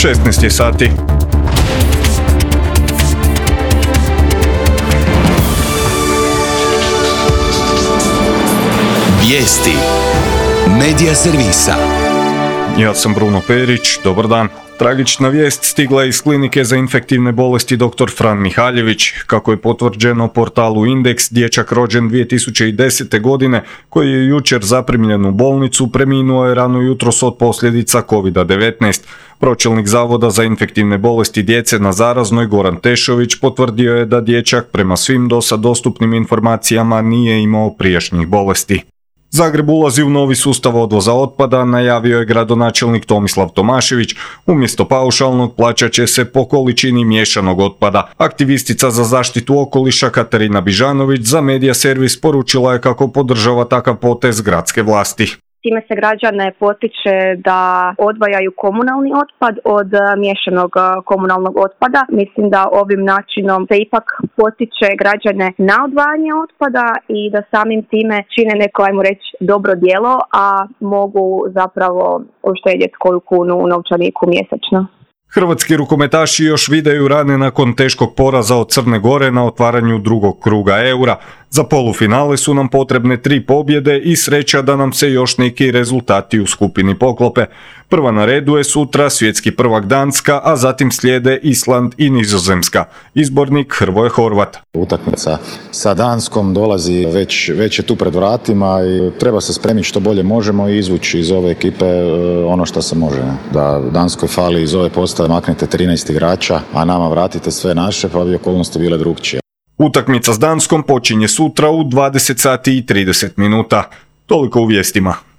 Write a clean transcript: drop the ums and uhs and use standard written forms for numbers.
16 je sati. Vijesti Medija servisa. Ja sam Bruno Perić, dobar dan. Tragična vijest stigla je iz klinike za infektivne bolesti dr. Fran Mihaljević. Kako je potvrđeno portalu Indeks, dječak rođen 2010. godine, koji je jučer zaprimljen u bolnicu, preminuo je rano jutros od posljedica COVID-19. Pročelnik Zavoda za infektivne bolesti djece na Zaraznoj, Goran Tešović, potvrdio je da dječak prema svim dosad dostupnim informacijama nije imao prijašnjih bolesti. Zagreb ulazi u novi sustav odvoza otpada, najavio je gradonačelnik Tomislav Tomašević. Umjesto paušalnog plaćat će se po količini miješanog otpada. Aktivistica za zaštitu okoliša Katarina Bižanović za Medija servis poručila je kako podržava takav potez gradske vlasti. Time se građane potiče da odvajaju komunalni otpad od miješanog komunalnog otpada. Mislim da ovim načinom se ipak potiče građane na odvajanje otpada i da samim time čine neko, ajmo reći, dobro djelo, a mogu zapravo uštedjeti koju kunu u novčaniku mjesečno. Hrvatski rukometaši još videju rane nakon teškog poraza od Crne Gore na otvaranju drugog kruga Eura. Za polufinale su nam potrebne 3 pobjede i sreća da nam se još neki rezultati u skupini poklope. Prva na redu je sutra svjetski prvak Danska, a zatim slijede Island i Nizozemska. Izbornik Hrvoje Horvat. Utakmica sa Danskom dolazi već je tu pred vratima i treba se spremiti što bolje možemo i izvući iz ove ekipe ono što se može. Da Danskoj fali iz ove postave maknete 13 igrača, a nama vratite sve naše, pa bi okolnosti bile drukčije. Utakmica s Danskom počinje sutra u 20 sati i 30 minuta. Toliko u vijestima.